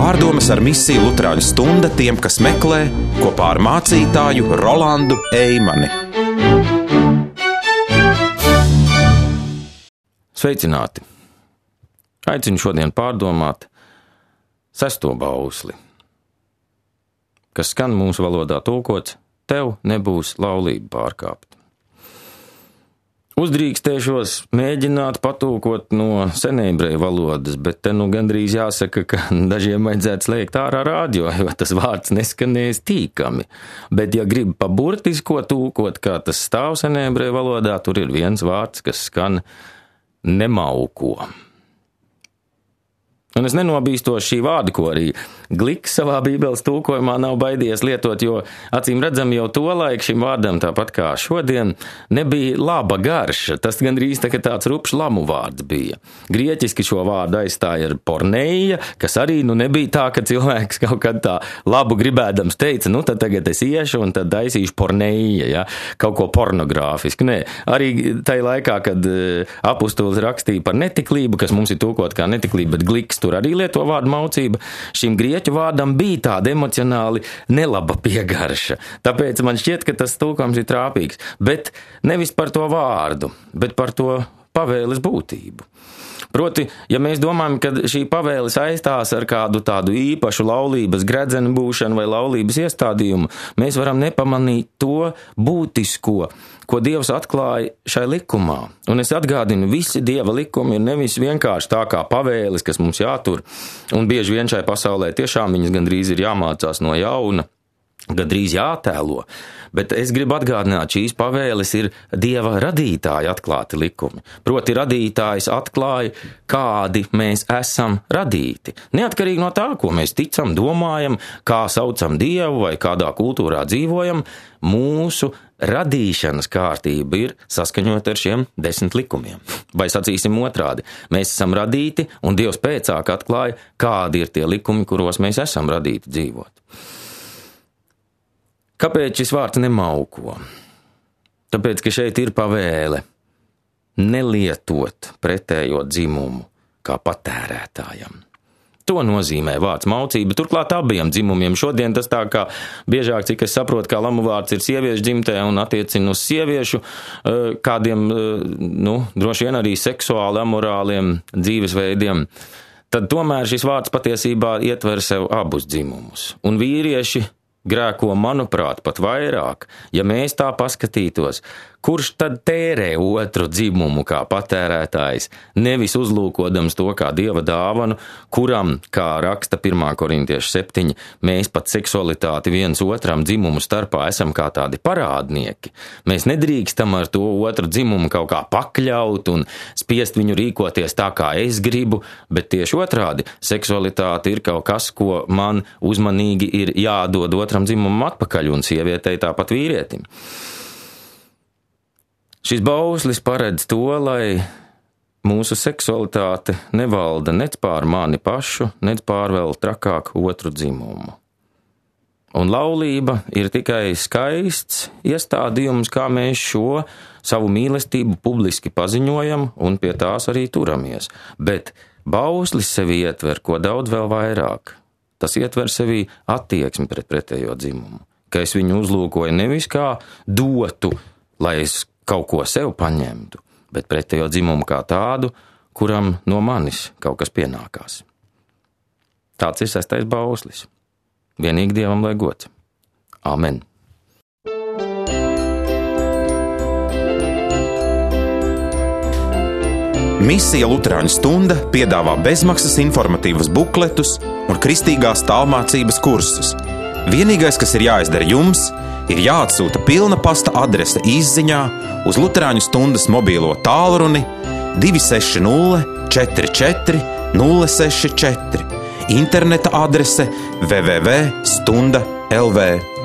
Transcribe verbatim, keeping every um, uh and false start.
Pārdomas ar misiju Luterāņu stunda tiem, kas meklē, kopā ar mācītāju Rolandu Eimani. Sveicināti! Aicinu šodien pārdomāt sesto bausli, kas skan mūsu valodā tulkots: tev nebūs laulība pārkāpt. Uzdrīkstēšos mēģināt patulkot no senebreju valodas, bet te nu gandrīz jāsaka, ka dažiem vajadzētu slēgt ārā rādio, jo tas vārds neskanēs tīkami. Bet ja grib paburtisko tulkot, kā tas stāv senebreju valodā, tur ir viens vārds, kas skan nemauko. Un es nenobīstos šī vārda, ko arī Gliks savā bībeles tulkojumā nav baidies lietot, jo acīm redzam jau to laiku šim vārdam, tāpat kā šodien, nebija laba garša. Tas gandrīz tā, tāds rupšs lamu vārds bija. Grieķiski šo vārdu aizstāja ar porneija, kas arī nu nebija tā, ka cilvēks kaut kad tā labu gribēdams teica, nu tad tagad es iešu un tad taisīšu porneija, ja? Kaut ko pornogrāfisku. Nē, arī tajā laikā, kad apustulis rakstīja par netiklību, kas mums ir tulkot kā netiklība, bet Gliks tur arī lieto vārdu maucība, šim grieķu vārdam bija tāda emocionāli nelaba piegarša. Tāpēc man šķiet, ka tas tulkojums ir trāpīgs. Bet nevis par to vārdu, bet par to pavēles būtību. Proti, ja mēs domājam, ka šī pavēle saistās ar kādu tādu īpašu laulības gredzenu būšanu vai laulības iestādījumu, mēs varam nepamanīt to būtisko, ko Dievs atklāja šai likumā. Un es atgādinu, visi Dieva likumi ir nevis vienkārši tā kā pavēles, kas mums jātur, un bieži vien šai pasaulē tiešām viņas gandrīz ir jāmācās no jauna, gandrīz jātēlo, bet es gribu atgādināt, šīs pavēles ir Dieva radītāja atklāti likumi. Proti radītājs atklāja, kādi mēs esam radīti. Neatkarīgi no tā, ko mēs ticam, domājam, kā saucam Dievu vai kādā kultūrā dzīvojam, mūsu radīšanas kārtība ir saskaņot ar šiem desmit likumiem. Vai sacīsim otrādi, mēs esam radīti un Dievs pēcāk atklāja, kādi ir tie likumi, kuros mēs esam radīti dzīvot. Kāpēc šis vārds nemauko? Tāpēc, ka šeit ir pavēle nelietot pretējo dzimumu kā patērētājam. To nozīmē vārds maucība, turklāt abiem dzimumiem. Šodien tas tā kā biežāk, cik es saprotu, kā lamu vārds ir sieviešu dzimtē un attiecina uz sieviešu kādiem, nu, droši vien arī seksuāli amorāliem dzīvesveidiem. Tad tomēr šis vārds patiesībā ietver sev abus dzimumus. Un vīrieši grēko, manuprāt, pat vairāk, ja mēs tā paskatītos, kurš tad tērē otru dzimumu kā patērētājs, nevis uzlūkodams to kā Dieva dāvanu, kuram, kā raksta pirmā korintiešu septiņi, mēs pat seksualitāti viens otram dzimumu starpā esam kā tādi parādnieki. Mēs nedrīkstam ar to otru dzimumu kaut kā pakļaut un spiest viņu rīkoties tā, kā es gribu, bet tieši otrādi, seksualitāte ir kaut kas, ko man uzmanīgi ir jādod otram dzimumam atpakaļ un sievietei tāpat vīrietim. Šis bauslis paredz to, lai mūsu seksualitāte nevalda nec pār mani pašu, nec pār vēl trakāk otru dzimumu. Un laulība ir tikai skaists iestādījums, kā mēs šo savu mīlestību publiski paziņojam un pie tās arī turamies. Bet bauslis sevi ietver ko daudz vēl vairāk. Tas ietver sevi attieksmi pret pretējo dzimumu, ka es viņu uzlūkoju nevis kā dotu, lai es kaut ko sev paņemtu, bet pretējo dzimumu kā tādu, kuram no manis kaut kas pienākās. Tāds ir sestais bauslis. Vienīgi Dievam lai gods. Amen. Misija Luterāņu stunda piedāvā bezmaksas informatīvas bukletus un kristīgās tālmācības kursus. Vienīgais, kas ir jāizdara jums, ir jāatsūta pilna pasta adrese izziņā uz Luterāņu stundas mobīlo tālruni divi seši nulle četri četri nulle seši četri, interneta adrese w w w punkt stunda punkt l v.